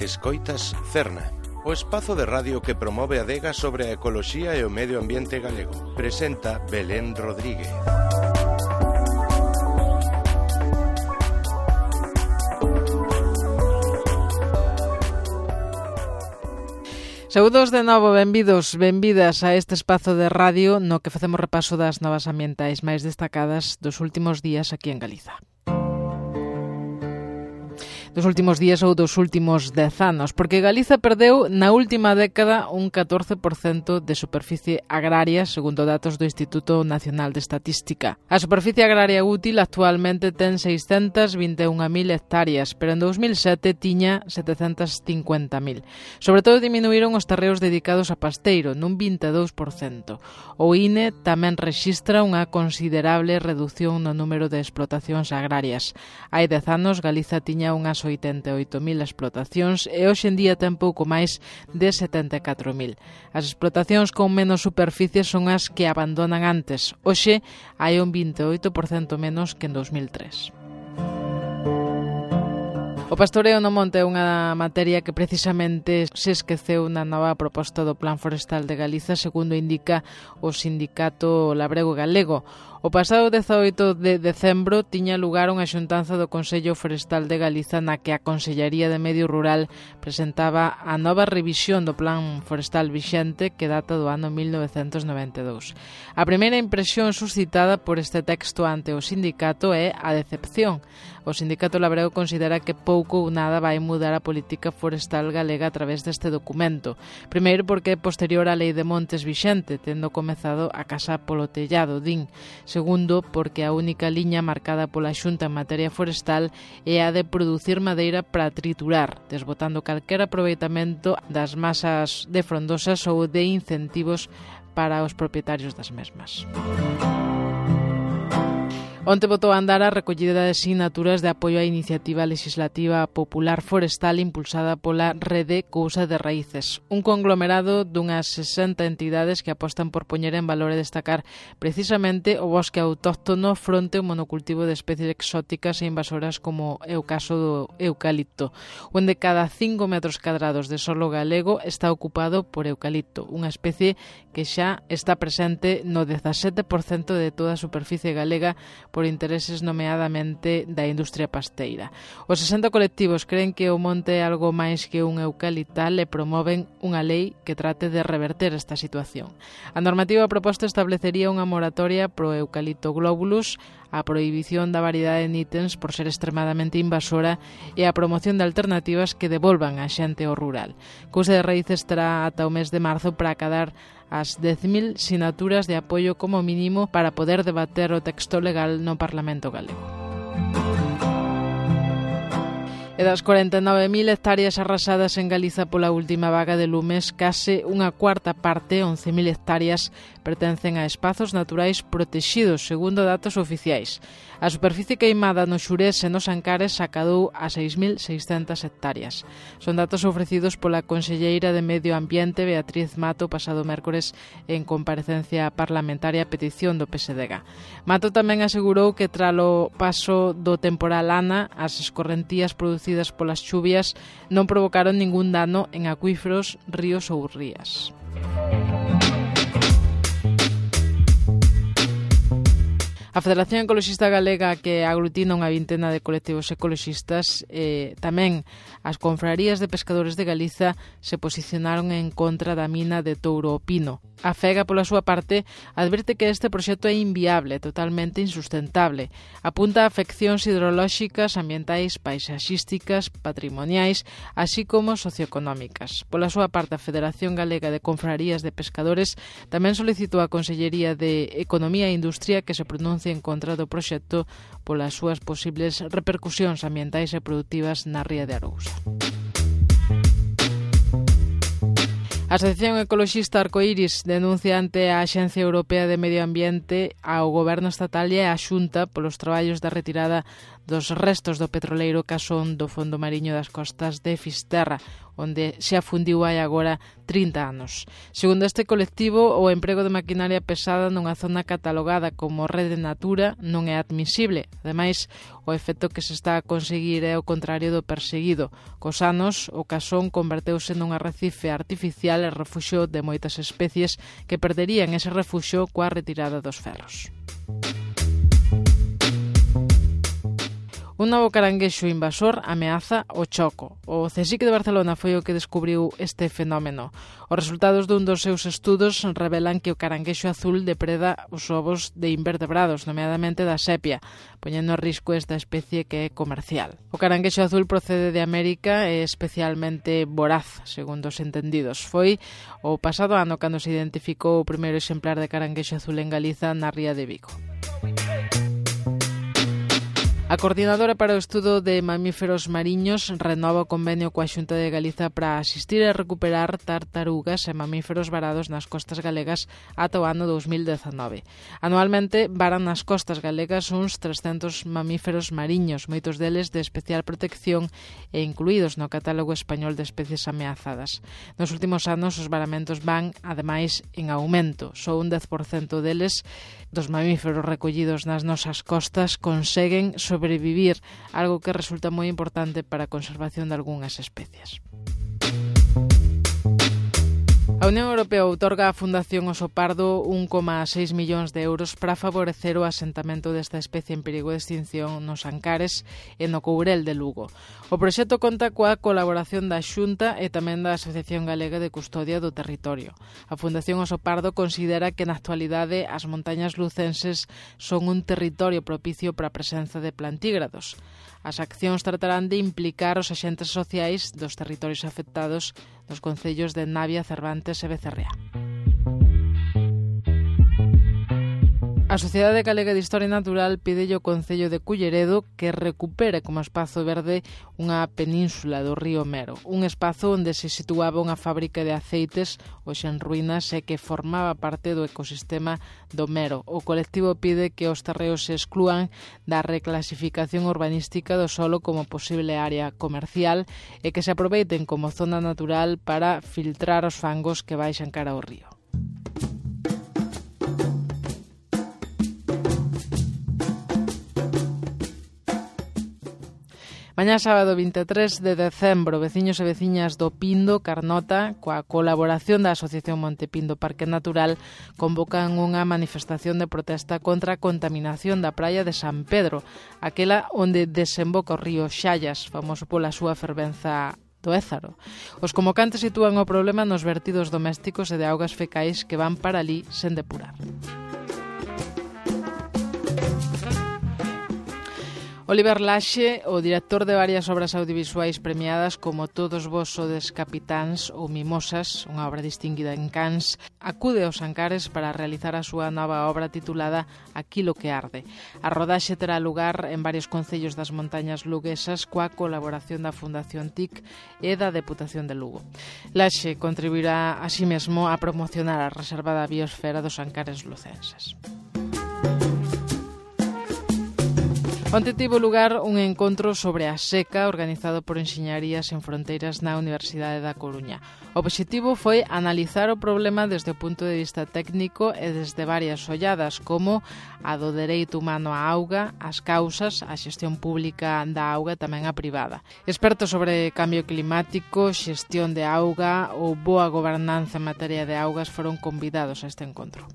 Escoitas Cerna, o espazo de radio que promove a adega sobre a ecoloxía e o medio ambiente galego. Presenta Belén Rodríguez. Saúdos de novo, benvidos, benvidas a este espazo de radio no que facemos repaso das novas ambientais máis destacadas dos últimos días aquí en Galiza. Dos últimos días ou dos últimos 10 anos, porque Galiza perdeu na última década un 14% de superficie agraria, segundo datos do Instituto Nacional de Estatística. A superficie agraria útil actualmente ten 621.000 hectáreas, pero en 2007 tiña 750.000. Sobre todo diminuíron os terreos dedicados a pasteiro, nun 22%. O INE tamén rexistra unha considerable reducción no número de explotacións agrarias. Hai 10 anos Galiza tiña unhas 88.000 explotacións e hoxe en día ten pouco máis de 74.000. As explotacións con menos superficie son as que abandonan antes. Hoxe hai un 28% menos que en 2003. O pastoreo no monte é unha materia que precisamente se esqueceu na nova proposta do Plan Forestal de Galiza, segundo indica o Sindicato Labrego Galego. O pasado 18 de decembro tiña lugar unha xuntanza do Consello Forestal de Galiza na que a Consellería de Medio Rural presentaba a nova revisión do Plan Forestal vixente que data do ano 1992. A primeira impresión suscitada por este texto ante o sindicato é a decepción. O Sindicato Labrego considera que pouco ou nada vai mudar a política forestal galega a través deste documento. Primeiro porque é posterior á Lei de Montes vixente, tendo comezado a casa polo tellado, din. Segundo, porque a única liña marcada pola Xunta en materia forestal é a de producir madeira para triturar, desbotando calquera aproveitamento das masas de frondosas ou de incentivos para os propietarios das mesmas. Onte botou a andar a recollida de sinaturas de apoio á iniciativa legislativa popular forestal impulsada pola Rede Cousa de Raíces, un conglomerado dunhas 60 entidades que apostan por poñer en valor e destacar precisamente o bosque autóctono fronte ao monocultivo de especies exóticas e invasoras como é o caso do eucalipto, onde cada 5 metros cadrados de solo galego está ocupado por eucalipto, unha especie que xa está presente no 17% de toda a superficie galega por intereses nomeadamente da industria pasteira. Os 60 colectivos creen que o monte é algo máis que un eucaliptal e promoven unha lei que trate de reverter esta situación. A normativa proposta establecería unha moratoria pro eucalipto globulus, a prohibición da variedade de nítens por ser extremadamente invasora e a promoción de alternativas que devolvan a xente ao rural. Cousa de Raíces terá ata o mes de marzo para acadar as 10.000 sinaturas de apoio como mínimo para poder debater o texto legal no Parlamento galego. E das 49.000 hectáreas arrasadas en Galiza pola última vaga de lumes, case unha cuarta parte, 11.000 hectáreas, pertencen a espazos naturais protexidos, segundo datos oficiais. A superficie queimada no Xurés e nos Ancares acadou a 6.600 hectáreas. Son datos ofrecidos pola conselleira de Medio Ambiente, Beatriz Mato, pasado mércores en comparecencia parlamentaria a petición do PSDG. Mato tamén asegurou que tralo paso do temporal Ana, as escorrentías producidas polas chuvias non provocaron ningún dano en acuíferos, ríos ou rías. A Federación Ecoloxista Galega, que aglutina unha vintena de colectivos ecoloxistas, tamén as confrarías de pescadores de Galiza se posicionaron en contra da mina de Touro o Pino. A FEGA, pola súa parte, advirte que este proxecto é inviable, totalmente insustentable. Apunta a afeccións hidrolóxicas, ambientais, paisaxísticas, patrimoniais, así como socioeconómicas. Pola súa parte, a Federación Galega de Confrarías de Pescadores tamén solicitou á Consellería de Economía e Industria que se pronuncie en contra do proxecto polas súas posibles repercusións ambientais e produtivas na ría de Arousa. A Asociación Ecoloxista Arcoiris denuncia ante a Axencia Europea de Medio Ambiente ao Goberno Estatal e a Xunta polos traballos da retirada dos restos do petroleiro Casón do fondo mariño das costas de Fisterra, onde se afundiu hai agora 30 anos. Segundo este colectivo, o emprego de maquinaria pesada nunha zona catalogada como rede Natura non é admisible. Ademais, o efecto que se está a conseguir é o contrario do perseguido. Cos anos, o Casón converteuse nun arrecife artificial e refuxio de moitas especies que perderían ese refuxio coa retirada dos ferros. Un novo caranguexo invasor ameaza o choco. O CSIC de Barcelona foi o que descubriu este fenómeno. Os resultados dun dos seus estudos revelan que o caranguexo azul depreda os ovos de invertebrados, nomeadamente da sepia, poñendo a risco esta especie que é comercial. O caranguexo azul procede de América e é especialmente voraz, segundo os entendidos. Foi o pasado ano cando se identificou o primeiro exemplar de caranguexo azul en Galiza na ría de Vigo. A Coordinadora para o Estudo de Mamíferos Mariños renova o convenio coa Xunta de Galiza para asistir e recuperar tartarugas e mamíferos varados nas costas galegas ata o ano 2019. Anualmente varan nas costas galegas uns 300 mamíferos mariños, moitos deles de especial protección e incluídos no catálogo español de especies ameazadas. Nos últimos anos os varamentos van, ademais, en aumento. Só un 10% deles dos mamíferos recollidos nas nosas costas conseguen sobrevivir, algo que resulta moi importante para a conservación de algunhas especies. A Unión Europea outorga á Fundación Oso Pardo 1,6 millóns de euros para favorecer o asentamento desta especie en perigo de extinción nos Ancares e no Courel de Lugo. O proxecto conta coa colaboración da Xunta e tamén da Asociación Galega de Custodia do Territorio. A Fundación Oso Pardo considera que na actualidade as montañas lucenses son un territorio propicio para a presenza de plantígrados. As accións tratarán de implicar os axentes sociais dos territorios afectados nos concellos de Navia, Cervantes e Becerrea. A Sociedade Galega de Historia Natural pídelle ao Concello de Culleredo que recupere como espazo verde unha península do río Mero, un espazo onde se situaba unha fábrica de aceites hoxe en ruínas e que formaba parte do ecosistema do Mero. O colectivo pide que os terreos se exclúan da reclasificación urbanística do solo como posible área comercial e que se aproveiten como zona natural para filtrar os fangos que baixan cara ao río. Mañá sábado 23 de decembro, veciños e veciñas do Pindo, Carnota, coa colaboración da Asociación Montepindo Parque Natural, convocan unha manifestación de protesta contra a contaminación da praia de San Pedro, aquela onde desemboca o río Xallas, famoso pola súa fervenza do Ézaro. Os convocantes sitúan o problema nos vertidos domésticos e de augas fecais que van para ali sen depurar. Oliver Laxe, o director de varias obras audiovisuais premiadas como Todos vos sodes capitáns ou Mimosas, unha obra distinguida en Cannes, acude aos Ancares para realizar a súa nova obra titulada Aquilo que arde. A rodaxe terá lugar en varios concellos das montañas luguesas coa colaboración da Fundación TIC e da Deputación de Lugo. Laxe contribuirá así mesmo a promocionar a reserva da biosfera dos Ancares lucenses. Onte tivo lugar un encontro sobre a seca organizado por Enxeñarías Sen Fronteiras na Universidade da Coruña. O obxectivo foi analizar o problema desde o punto de vista técnico e desde varias olladas, como a do dereito humano á auga, as causas, a xestión pública da auga e tamén a privada. Expertos sobre cambio climático, xestión de auga ou boa gobernanza en materia de augas foron convidados a este encontro.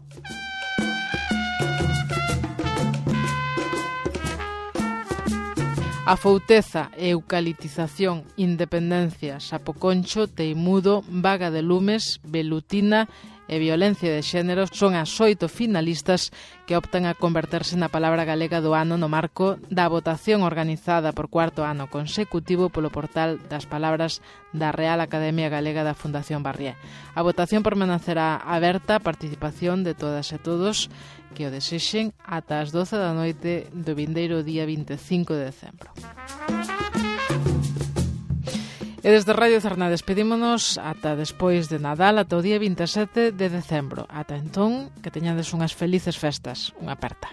A fouteza, eucaliptización, independencia, sapoconcho, teimudo, vaga de lumes, velutina e violencia de xénero son as 8 finalistas que optan a converterse na palabra galega do ano no marco da votación organizada por 4º ano consecutivo polo portal das palabras da Real Academia Galega da Fundación Barrié. A votación permanecerá aberta a participación de todas e todos que o desexen ata as 12 da noite do vindeiro día 25 de decembro. E desde Radio Cerna despedímonos ata despois de Nadal, ata o día 27 de decembro. Ata entón, que teñades unhas felices festas. Unha aperta.